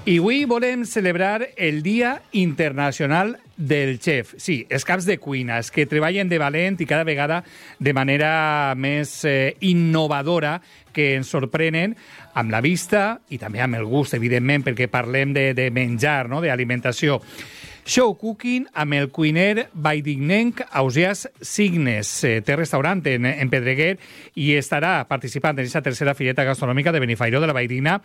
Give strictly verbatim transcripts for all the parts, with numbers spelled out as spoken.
I avui volem celebrar el Dia Internacional del Chef. Sí, els caps de cuina, els que treballen de valent i cada vegada de manera més eh, innovadora, que ens sorprenen amb la vista i també amb el gust, evidentment, perquè parlem de, de menjar, no?, d'alimentació. Show Cooking amb el cuiner valldignenc Ausiàs Signes. Eh, té restaurant en, en Pedreguer i estarà participant en aquesta tercera fireta gastronòmica de Benifairó de la Valldigna,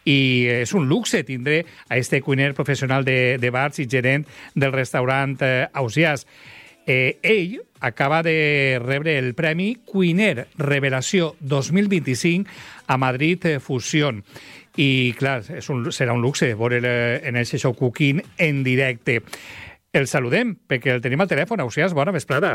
i és un luxe tindre a este cuiner professional de, de bars i gerent del restaurant eh, Ausiàs. Eh, ell acaba de rebre el Premi Cuiner Revelació dos mil vint-i-cinc a Madrid Fusión. I, clar, és un, serà un luxe veure en el Show Cooking en directe. El saludem, perquè el tenim al telèfon. Ausiàs, bona vesprada.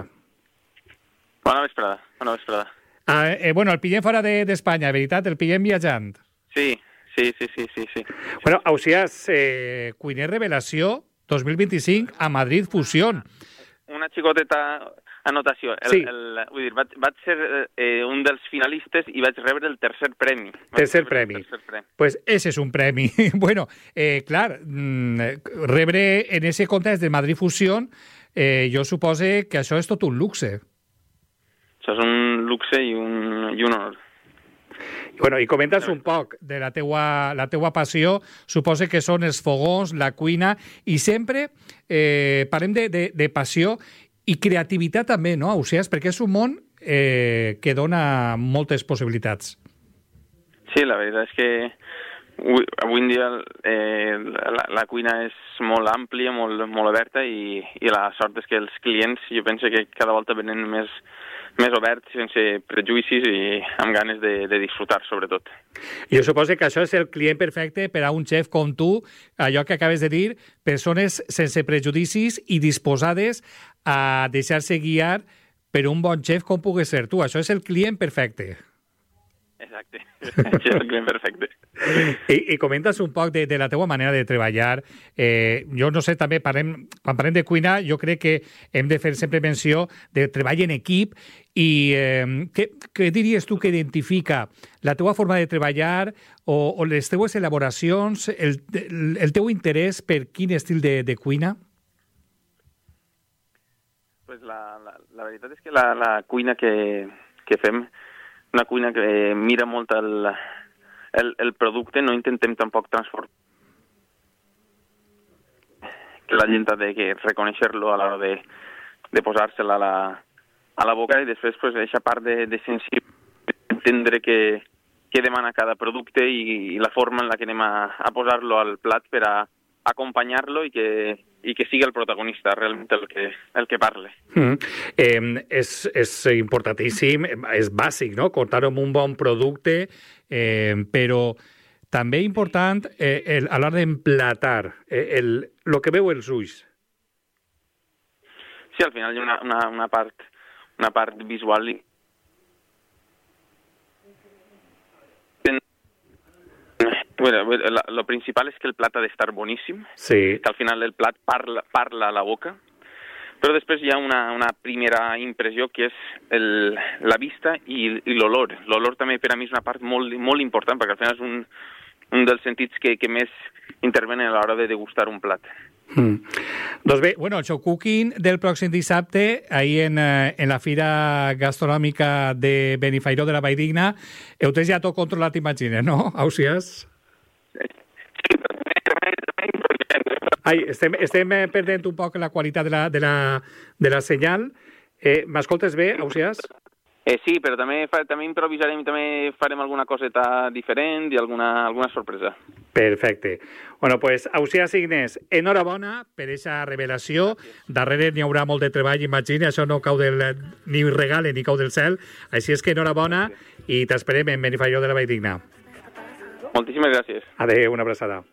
Bona vesprada, bona vesprada. Ah, eh, bueno, el pillem fora d'Espanya, de, veritat? El pillem viatjant? Sí, sí, sí, sí, sí. sí. Bueno, Ausiàs, eh, Cuiner Revelació dos mil vint-i-cinc a Madrid Fusión. Una xicoteta anotació. El, sí. el, vull dir, vaig, vaig ser eh, un dels finalistes i vaig rebre el tercer premi. Tercer premi. Tercer premi. Pues ese és un premi. Bueno, eh, clar, rebre en ese context de Madrid Fusión, eh, jo supose que això és tot un luxe. Això és un luxe i un, i un honor. Bueno, i comenta'ns un poc de la teua, la teua passió. Supose que són els fogons, la cuina, i sempre eh, parlem de, de, de passió i creativitat també, no, Ausiàs? Perquè és un món eh, que dona moltes possibilitats. Sí, la veritat és que avui, avui en dia eh, la, la cuina és molt àmplia, molt, molt oberta, i, i la sort és que els clients, jo penso que cada volta venen més, més oberts, sense prejudicis i amb ganes de, de disfrutar, sobretot. Jo suposo que això és el client perfecte per a un xef com tu, allò que acabes de dir, persones sense prejudicis i disposades a deixar-se guiar per un bon xef com pugues ser tu. Això és el client perfecte. Exacte, això és el client perfecte. I, i comentes un poc de, de la teua manera de treballar. Eh, jo no sé, també parlem, quan parlem de cuina, jo crec que hem de fer sempre menció de treball en equip. I eh, què, què diries tu que identifica la teua forma de treballar o, o les teues elaboracions, el, el, el teu interès per quin estil de, de cuina? Pues la, la, la veritat és que la, la cuina que, que fem, una cuina que mira molt el, el, el producte, no intentem tampoc transformar. Que la gent ha de reconèixer-lo a l'hora de, de posar-se-la a la, a la boca, i després pues, aquesta part de, de sensible, entendre que, que demana cada producte i, i la forma en la que anem a, a posar-lo al plat per a acompanyar-lo i que, i que sigui el protagonista realment el que, el que parle. Mm. Eh, és, és importantíssim, és bàsic, no?, comptar amb un bon producte, eh, però també important eh, el, a l'hora d'emplatar, eh, el, el que veu els ulls. Sí, al final hi ha una, una, una, part, una part visual. Bueno, lo principal és que el plat ha d'estar boníssim, sí. Que al final el plat parla, parla a la boca, però després hi ha una, una primera impressió que és el, la vista i, i l'olor. L'olor també per a mi és una part molt, molt important, perquè al final és un, un dels sentits que, que més intervenen a l'hora de degustar un plat. Mm. Doncs bé, bueno, el Show Cooking del pròxim dissabte, ahir en, en la Fira Gastronòmica de Benifairó de la Valldigna, heu tens ja tot controlat, imagines, no, Ausiàs? Ai, estem, estem perdent un poc la qualitat de la, de la, de la senyal. Eh, M'escoltes bé, Ausiàs? Eh, sí, però també, fa, també improvisarem i també farem alguna coseta diferent i alguna, alguna sorpresa. Perfecte. Bueno, pues, Ausiàs Signes, enhorabona per aquesta revelació. Darrere n'hi haurà molt de treball, imagina, això no cau del, ni regale ni cau del cel. Així és que enhorabona i t'esperem en Benifairó de la Valldigna. Moltíssimes gràcies. Adéu, una abraçada.